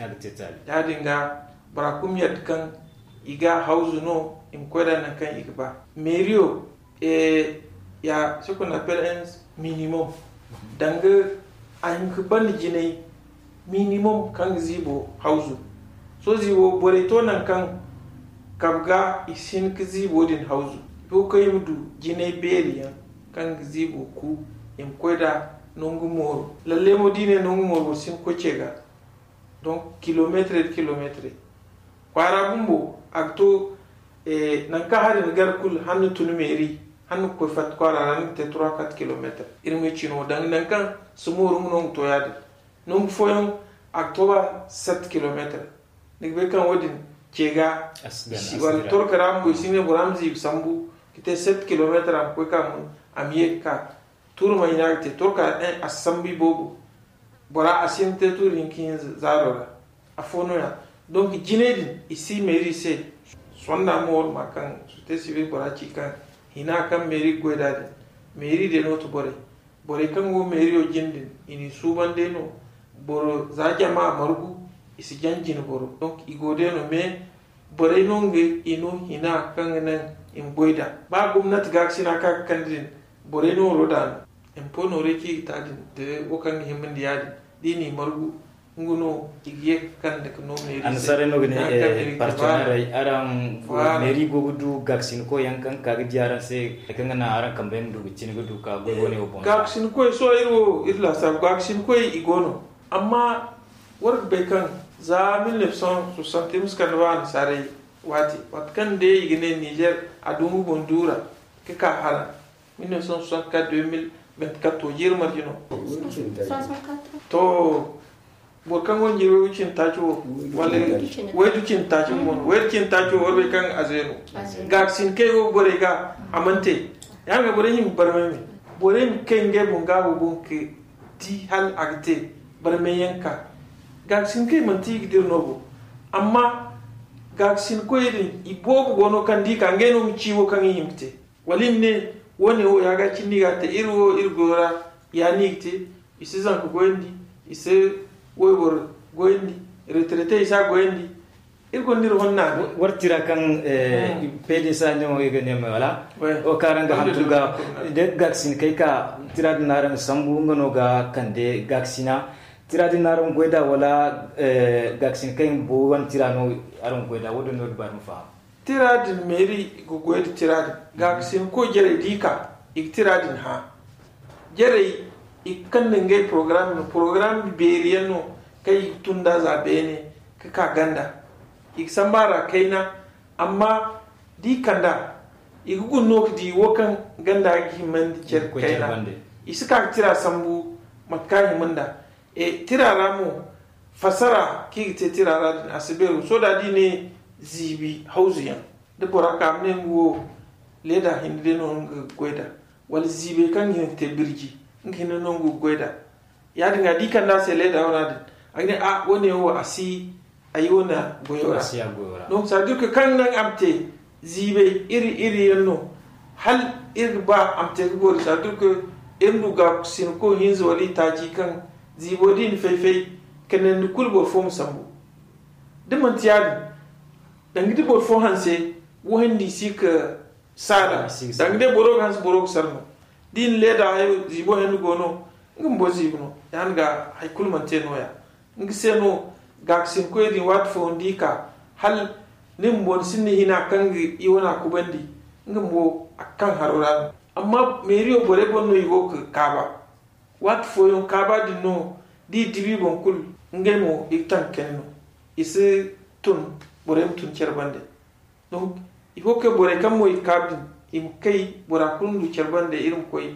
Ya- din ga bora kulu ma yadda kaŋ i ga hawzu no i ma koy da nangu kaŋ i ga ba. Meeriyo ya ce qu'on appelle un minimum. Danga a hin ka banda jinay minimum kaŋ ga ziibo hawzu. Sohõ ziibo borey to nangu kaŋ kabe ga i si hin ka ziibo din hawzu. I go ga koy i ma du jinay beeri yaŋ kaŋ ga ziibo ku, i ma koy nd'a nangu mooro. Lalle mo da i ne nangu mooro boro si hin ga koy ce ga. Donc kilomeetre da kilomeetre kwaara bumbo a ga to. Nangu kaŋ hari ni gar kulu hala ni tun meeri, hala ni ga koy fatta kwaara ra ni ga te trois quatre kilomeetre. Iri ma cino danga nangu kaŋ si mooru nga no nga to ya-din. Nangu fooyaŋ a ga to ba sept kilomeetre. Ni ga bay kaŋ wo-din ce ga wala torka ra bumbo i si ne bora ma ziibi sambu ka te sept kilomeetre a ma koy ka mun a ma ye ga ka. Tuuri ma hina ga te torka a si sambu i boobo. Bora a si hin ga te tuuri hinka hinza zaaro ra. Afo no- ya donc jinay din i si meeri se. Sonda mo wala ma kaŋ société civile bora ci kaŋ hina kaŋ meeri ga goy nd'a din. Meeri day no ti borey. Borey kaŋ go meeriyo jine din i n'i suuban day no. Boro za jama margu i si jaŋ jine boro donc i go day no mais borey no ngey i no hina kaŋ ga naŋ i ma goy nd'a. Ba gomnati gaakasina kaŋ a ga kande din borey no waro da no. Impo noorey kaŋ i ga ta din da wo kaŋ ga himandi ya-din da i n'i margu nga no i ga ye ga kande ga no meeri se. Annasaarey no ga ne partenairey araŋ meeri go ga du gaakasinkoy yaŋ kaŋ ga ka ga di araŋ se hari kaŋ ga naŋ araŋ kambe ma du ga cine ga du ka goy wane wo boŋ. Gaakasinkoy sohõ iri wo iri laasaabu gaakasinkoy i go no. Amma war ga bay kaŋ za mille neuf cent soixante iri ma si kande ba annasaarey waati waati kaŋ day i ga ne nizer a dungu boŋ duura ga ka hala mille neuf cent soixante quatre deux mille vingt quatre to jiiri marje no. To boro kaŋ go ga jiiri way ga cindi taaci wo wala way ga cindi taaci mo no way ga cindi taaci wo war bay kaŋ a zeenu. Gaakasin kaŋ i go ga borey ga a mana te. Ya-din ga borey hima barmay me borey ma kay ngey boŋ gaabo boŋ ka di hala a ga te. Barmay yaŋ ka gaakasin kaŋ i manti i ga dira no bo. Amma gaakasin koy din i boobo go no kaŋ da i ka ngey no ma ci wo kaŋ i hima ga te. Wala i ma ne wo- ne wo ya ga cindi i ga a te iri wo iri goyo ra ya no i ga te. I si zanka goyandi, i si wayboro goyandi, retraite i si a goyandi. Iri gonda iri honda no. War tira kaŋ pdc a ne wo i ga ne me wala? Wo kaŋ araŋ ga hantum ga da gaakasin kay ka tira din araŋ ga sambu nga no ga kande gaakasina. Tira din araŋ ga goy da wala gaakasin kay bo wane tira no araŋ ga goy da wo din no dibari ma faham. Tira din meeri ga goy da tira din. Gaakasin koy jarey da i ka i ga tira din hã. Jarey i ga kande ngey porogaram no porogaram beeri yaŋ no kaŋ i ga tun da za beene ka ka ganda. I ga samba ra kayna. Amma da i kand'a i ga guna no ka di wo kaŋ ganda ga himandi care kayna. I si ka ga tira sambu mate kaŋ a hima nd'a. Tira ra mo fassara kaŋ i ga te tira ra din a si beeru sohõ da da i ne ziibi hawzu yaŋ da bora ka a ma ne nga wo leeda hinne day no nga ga goy nd'a. Wala ziibey kaŋ ga hin ga te birji nga hinne no nga ga goy nd'a. Ya- din ga da i kand'a se leeda wana din a ga ne a wo- ne wo a si ay wane goyo ra. Donc ça veut dire que kaŋ naŋ a ma te ziibey iri iri yaŋ no. Hala iri ga ba a ma te ga boori ça veut dire que iri ma du gaakasinko hinza wala i taaci kaŋ ziibo da i na fay-fay ka nandi kulu boro fo ma sambu. Da manti ya- din danga da boro fo hanse wohindi si ka saala. Danga day boro ga hanse boro ga sara no da i na leeda hayo ziibo hendo go no. Nga bumbo ziibi no ya- din ga hari kulu mana te no- ya. Nga se no gaakasinkoy din waati fooyaŋ da i ka hala ni bumbo ni sinda hina kaŋ ga i wana kubandi. Nga bumbo a ga kaŋ haro ra no. Amma meeriyo borey boŋ no i go ga kaaba. Waati fooyaŋ kaaba din no da i dibi boŋ kulu ngey mo i ga taŋ ga kani no. I si tun borey ma tun care bande. Donc i go ga koy borey kaŋ mo i ga kaabu din i ma kay bora kulu ma du care bande iri ma koy.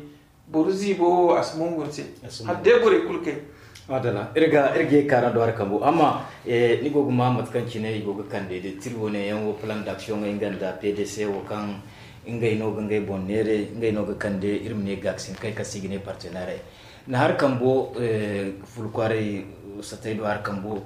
Boro ziibo wo a si mongu ni se hala day borey kulu kay. Madalla iri ga iri ga ye kaara do hari kambo amma ni go ga ma mate kaŋ cine i go ga kande da tiri wane yaŋ wo plan d'action ŋey nga nda pdc wo kaŋ ngey no ga ngey boŋ neere ngey no ga kande iri ma ne gaakasin kay kaŋ se i ga ne partenaire. Na hari kambo fulkwaaray satay do hari kambo.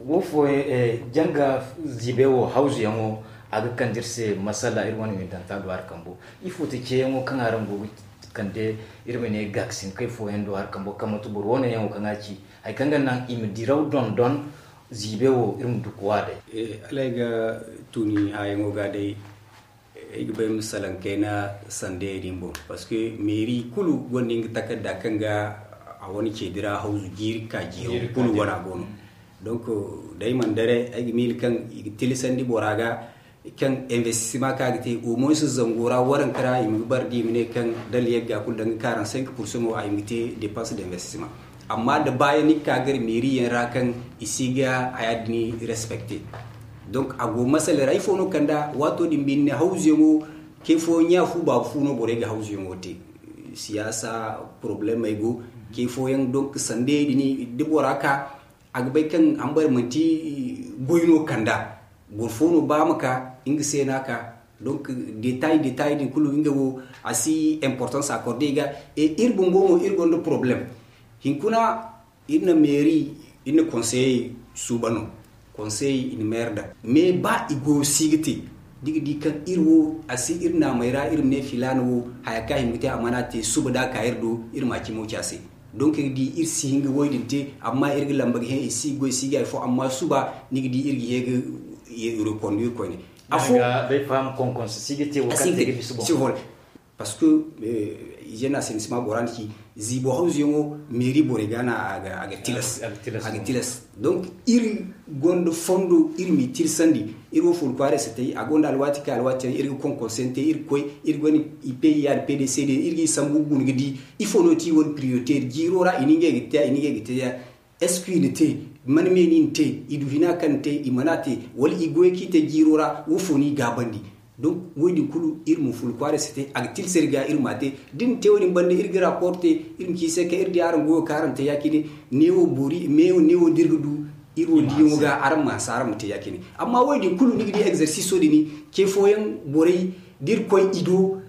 Wo fooyaŋ janga ziibey wo hawzuyaŋo a ga kande iri se masala iri wane windanta do hari kambo. Ifo ti ceeyaŋo kaŋ araŋ go ga kande iri ma ne gaakasin kay fooyaŋ do hari kambo kaŋ manti boro wane yaŋo kaŋ a ci hari kaŋ ga naŋ i ma diraw dondon. Ziibey wo iri ma du ga waa day. Hala ay ga tuni haayaŋo ga day. Ay ga bay ma salaŋ kayna sandayey din boŋ parce que meeri kulu gonda nga takarda kaŋ ga A wane ceedi ra hawzu jiiri ka jiiro kulu wane a go no. Donc, day man dare ay ga miila kaŋ i ga tilasandi bora ga kaŋ investissement kaŋ a ga te au moins zango ra waranka ra i ma ga bara da i ma ne kaŋ dala yagga kulu danga quarante-cinq pour cent wo a hima ga te dépense d'investissement. Amma da baayaŋ ni ga ka gar meeri yaŋ ra kaŋ i si ga haya din respecte. Donc a go masala ra ifo no kanda waato din binde hawzuyaŋo ke fo ɲa fu baabu fu no borey ga hawzuyaŋo te. Siyaasa problemey go ke fooyaŋ donc sandey din da bora ka a ga bay kaŋ hambare manti goy no kanda. Boro fo no ba ma ka nga se no a ka. Donc détail détail din kulu nga wo a si importance accordé i ga. Et iri bumbo mo iri gonda problème. Hinkuna iri na mairie iri na conseiller suuba no. Conseiller i na maire daŋ mais ba i goyo si ga te da i ga di kaŋ iri wo a si iri naamey ra iri ma ne filaana wo haya kaŋ a hima ga te a mana te suuba da a ka iri do iri ma a cimo ci a se. Donc iri ga di iri si hin ga wo- din te amma iri ga lamba ga hẽ i si ga goy si ga hari fo amma suba ni ga di iri ga hẽ ga reconduire koyne. Afo day faham konkonso si ga te wo kaŋ te ga bisa boŋ. Parce que hygiène assainissement bora na ci ziibo hawzuyaŋo mairie borey ga no a ga tilas. Donc iri gonda fondo iri m'i tilasandi. Iri wo furu kwaaray si tay a gonda alwaati kaŋ alwaati yaŋ iri ga konkonso yaŋ te iri ga koy iri gonda i pay ya da pay day se day iri ga i sambu ga guna ga di ifo no ti wane prioritaire jiiro ra i na ngey ga te ya i na ngey ga te ya. Est-ce que i na te? Man me no i na te? I du hina kaŋ na te i mana te? Wala i goy kaŋ i te jiiro ra wo fo no i gaabandi? Donc wo- din kulu iri ma furu kwaaray si te a ga tilas iri ga iri ma te. Da iri na te wo- din banda iri ga rapport te iri ma ci i se kaŋ iri di araŋ goyo kaŋ araŋ te ya- cine. Neewo boori meewo neewo da iri ga du iri wo diyaŋo ga araŋ ma hanse araŋ ma te ya- cine. Amma wo- din kulu ni ga di exerciso din ce fooyaŋ borey da iri koy i do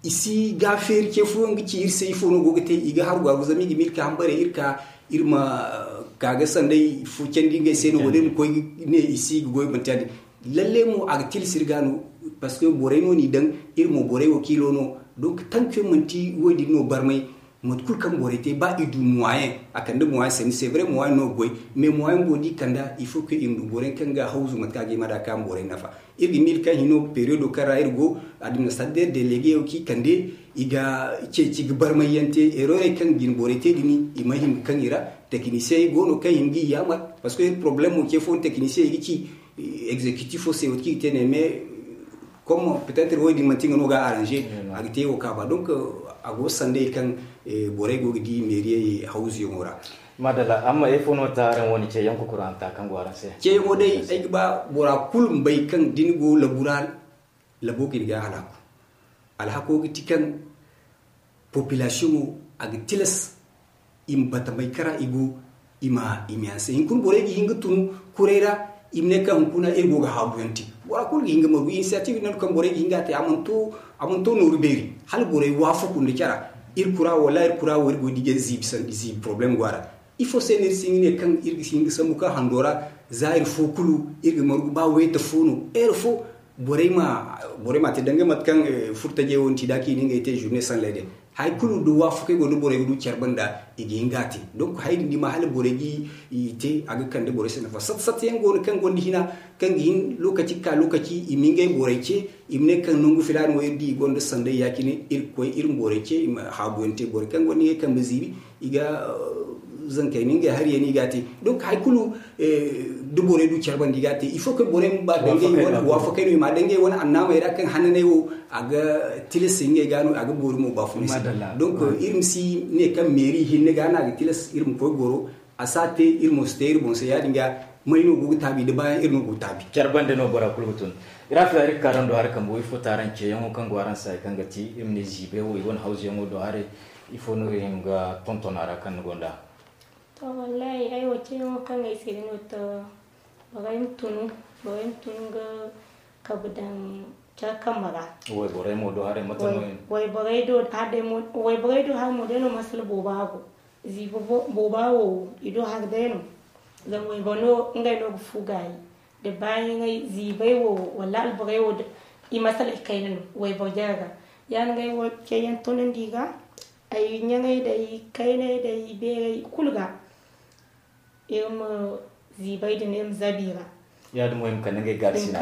i si ga feeri ce fooyaŋ ga ci iri se ifo no go ga te i ga haru gaaru zama i ga miila ka hambare iri ka iri ma ka ga sanday fo candi ngey se no wala iri ma koy ne i si ga goy manti ya- din. Lalle mo a ga tilas iri ga no. Parce que borey no n'i daŋ iri mo borey wakiilo no. Donc tanke manti wo- din no barmay. Mate kulu kaŋ borey te ba i du moyen a kande moyen sanni c'est vrai moyen no ga goy. Mais moyen go da i kanda il faut que i ma du borey kaŋ ga hawzu mate kaŋ a ga hima da kaŋ borey nafa. Iri ga miila kaŋ hino periodo kaŋ ra iri go administrateur délégué wo kaŋ i kande i ga ceeci ga barmay yaŋ te errorey kaŋ jine borey te din i mana hima ga kaŋ i ra. Techniciens go no kaŋ hima ga i yaamar parce que iri problemo ce fo no techniciens i ga ci exécutif fo se wo kaŋ i ga te ne mais comme peut-être wo- din manti nga no ga arranger a ga te wo kaaba donc a go sanday kaŋ borey go ga di meeriyey hawzuyaŋo ra. Madalla amma ifo no ta araŋ wane ceeyaŋ kukuranta kaŋ go araŋ se? Ceeyaŋo day ay ga ba bora kulu ma bay kaŋ da ni go labu ra labo ga ni ga halaku. Alhako ga ti kaŋ population wo a ga tilas i ma batamay kara i go i ma i ma yaŋ se hinkuna borey ga hin ga tun kuray ra. I ma ne kaŋ hunkuna iri go ga haabu yaŋ te bora kulu ga hin ga margu initiative nangu kaŋ borey ga hin ga a te a mana to nooru beeri hala borey waafaku nda cara. Iri kura wo wallaahi iri kura wo iri go ga di ga ziibi problème go a ra. Ifo se no iri si hin ga ne kaŋ iri ga si hin ga sambu kaŋ hando ra za iri fo kulu iri ga margu ba wayta fo no heure fo borey ma te danga mate kaŋ furtajey wo ni ci da kaŋ i na ngey te journée sans lait day. Hari kulu da waafakey go da borey ga du care banda i ga hin ga a te. Donc hari din da i ma hala borey ga i te a ga kande borey se nafa satta satta yaŋ go no kaŋ gonda hina kaŋ ga hin lokaci ga ka lokaci i ma ngey borey ce i ma ne kaŋ nangu filaana wo iri di i gonda sanday ya- cine iri ga koy iri ma borey ce i ma haabu yaŋ te borey kaŋ gonda ngey kambe ziibi i ga zankey no ngey hari yaŋ no i ga a te. Donc hari kulu da borey du care banda i ga a te il faut que borey ma ba dangay wane waafakey no i ma dangay wane annaamey ra kaŋ hananey wo a ga tilas ngey ga no a ga boori mo baafunay se. Donc iri ma si ne kaŋ meeri hinne ga no a ga tilas iri ma koy goro a si a te iri mo si te iri boŋ se ya- din ga may no go ga taabi da baayaŋ iri no go ga taabi. Care banda no bora kulu ga tun. Iri afila iri ga ka daŋ do hari kambo ifo taaraŋ ceeyaŋo kaŋ go araŋ se hari kaŋ ga ti iri ma ne ziibey wo i wane hawzuyaŋo do haray. Ifo no iri hima ga tonton a ra kaŋ ni gonda? To wallaahi ay wo ceeyaŋo kaŋ ay se din no to borey ma tunu borey ma tunu ga kabu daŋ care kambe ra. Wayborey mo do haray mate no? Wayborey do hari mo day no masala booba go. Ziibi booba wo i do hari day no. Zama wayboro no ngey no ga fu gaayi da baayaŋey ziibey wo wala alborey wo i masaley kayna no wayboro jare ga. Ya- din ga ay wo ceeyaŋ tunandi ga ay ɲaŋey day kayney day beerey kulu ga. Iri ma ziibey din iri ma zabi i ra. Ya-din mo i ma kande ngey gaari sina.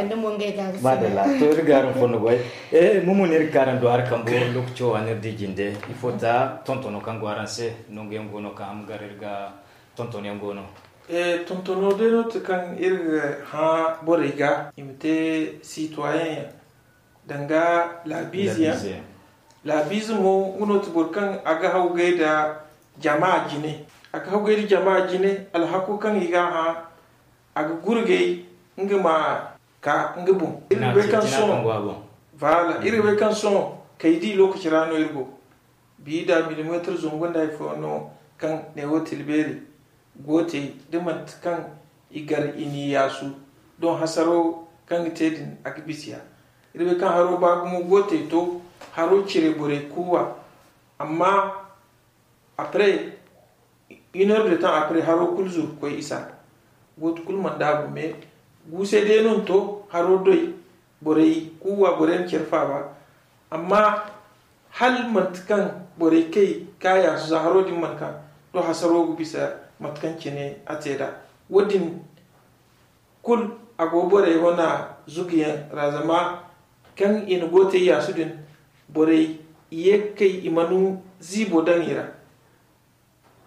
Madalla. To, iri ga araŋ fondo goy. Eh, mo mo no iri ga araŋ do hari kambo. Lokaco a n'iri di jinde. Ifo ta tontono kaŋ go araŋ se? Nanguyaŋ go no kaŋ ham gar iri ga tontono yaŋ go no. Eh, tontono day no ti kaŋ iri ga hã borey ga i ma te sitwayen yaŋ. Danga laabiize yaŋ. Laabiize mo nga no ti boro kaŋ a ga hawgay da jama jine. A ga hawgay da jama jine, alhako kaŋ i ga hã, a ga gurgay nga ma ka nga boŋ. Iri ga bay kaŋ sohõ, voilà, iri ga bay kaŋ sohõ kay di lokaci ra no iri go. Bi da milimeetar zangu nda hari fo no kaŋ neewo tilbeeri. Gootey da manti kaŋ i gar i n'i yaasu, doŋ hasaro kaŋ ga te din a ga bisa. Iri bay kaŋ haro ba gumo gootey to, haro cire borey kuuwa. Amma après une heure de temps après, haro kulu zuru ga koy isa. Gooto kulu mana daabu, mais guusay day no ni to haro doy. Borey kuuwa, borey na care faaba. Amma hala manti kaŋ borey kay ka yaasu za haro din mana ka, to hasaro ga bisa mate kaŋ cine a te nd'a. Wo-din kulu a go borey wane zuguyaŋ ra, zama kaŋ i na gootey yaasu din, borey i ye ga kay i mana ziibo daŋ i ra.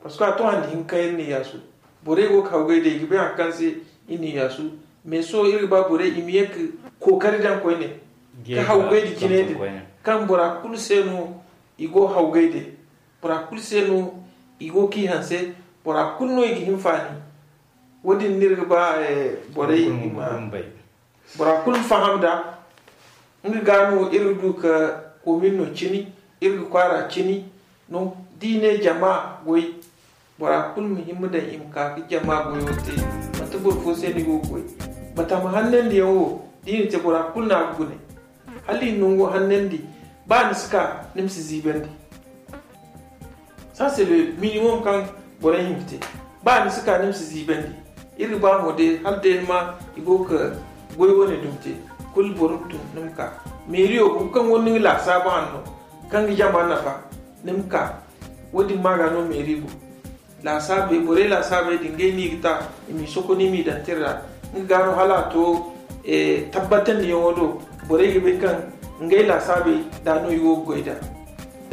Parce que a to handi hinka iri n'i yaasu. Borey go ga hawgay day i ga bay hari kaŋ se iri n'i yaasu. Mais sohõ iri ga ba borey i ma ye ga kookari daŋ koyne ka hawgay da jine din, kaŋ bora kulu se no i go hawgay day. Bora kulu se no i go ga i hanse. Bora kulu no i ga hinfaani. Wo-din no iri ga ba borey i ma bora kulu ma faham nd'a. Nga ga no iri ga du ka komin no cini, iri ga kwaara cini no. Da i ne jama goy, bora kulu ma hima daŋ i ma ka ga jama goyo te. Manti boro fo se no i go ga goy. Batama hannandiyaŋ wo, da i na te, bora kulu no a ga gune. Hala i na nango hannandi, ba ni si ka, ni ma si ziibandi. Ça c'est le minimum kaŋ borey hima ga te. Ba ni si ka, ni ma si ziibandi. Iri ga ba mo day hala day ni ma i go ga goy wane dumi te, kulu boro ma tun ni ma ka. Meeriyo boro kaŋ gonda nga laasaabu hanno kaŋ ga jama nafa, ni ma ka. Wo-din ma ga no meeri go. Laasaabey, borey laasaabey din, ngey no i ga ta i m'i sokoni, i m'i daŋ tira ra. Nga ga no hala a to tabbatandiyaŋo do, borey ga bay kaŋ ngey laasaabey da no i go ga goy nd'a.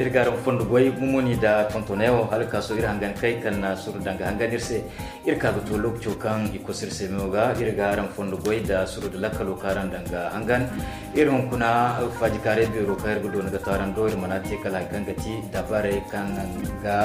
Iri ga araŋ fondo goy, gumo ni da tontonayaŋo, hala ka sohõ iri hangan kay kaŋ na suru danga hangan iri se. Iri ka ga to lokaco kaŋ i kosu iri se meyo ga, iri ga araŋ fondo goy da suru da lakkalo kaŋ araŋ danga hangan. Iri hunkuna faajikaaray beero kaŋ iri ga doona ga to araŋ do, iri mana te kala hari kaŋ ga ti dabarey kaŋ ga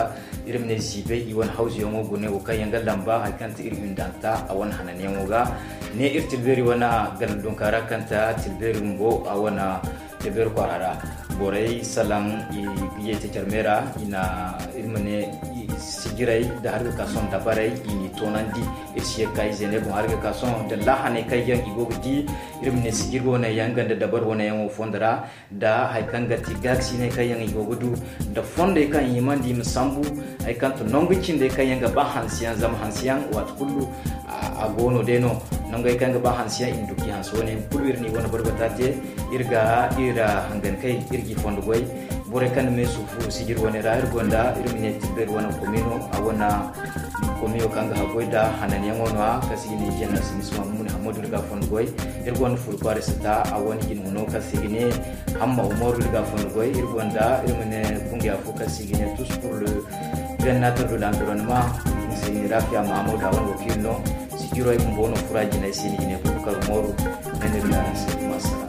iri ma ne ziibay i wane hawzuyaŋo gune wo kaŋ yaŋ ga lamba hari kaŋ ti iri hindanta a wane hananyaŋo ga. Ne iri tilbeeri wane ganda dunka ra kaŋ ta tilbeeri bumbo a wane tilbeeri kwaara ra. Borey salaŋ i ga ye te care me ra, i na iri ma ne sijiray da hari ga ka sohõ dabarey i n'i toonandi. Iri si ye ga ka ize ne boŋ hari ga ka sohõ da laahaney kaŋ yaŋ i go ga di, iri ma ne sijiri wane yaŋ ganda dabari wane yaŋo fondo ra. Da hari kaŋ ga ti gaakasiney kaŋ yaŋ i go ga du, da fondey kaŋ i himandi i ma sambu, hari kaŋ to nangu cindey kaŋ yaŋ ga ba hansiyaŋ, zama hansiyaŋ waati kulu a go no day no. Nangey kaŋ ga ba hansiyaŋ i ma du ga i hanse wane yaŋ kulu iri n'i wane barbata te. Iri ga iri hangan kay iri g'i fondo goy. Borey kaŋ na me suufu sijiri wane ra iri gonda iri ma ne tilbeeri wane komino a wane komiyo kaŋ ga haggoy nda hananyaŋo no-ya kaŋ se i ga ne jeneral sinisma mumuni hammadu iri ga fondo goy. Iri gonda furu kwaara sata a wane jine huno kaŋ se i ga ne hamma umaru iri ga fondo goy. Iri gonda iri ma ne kungiya fo kaŋ se i ga ne tous pour le bien-être de l'environnement, i se i ne rafiya mahamudu a wane wakiili no. Sijiro ay bumbo no fura jinay se ni ga ne bubakar umaru. Ay ne iri ga araŋ se masala.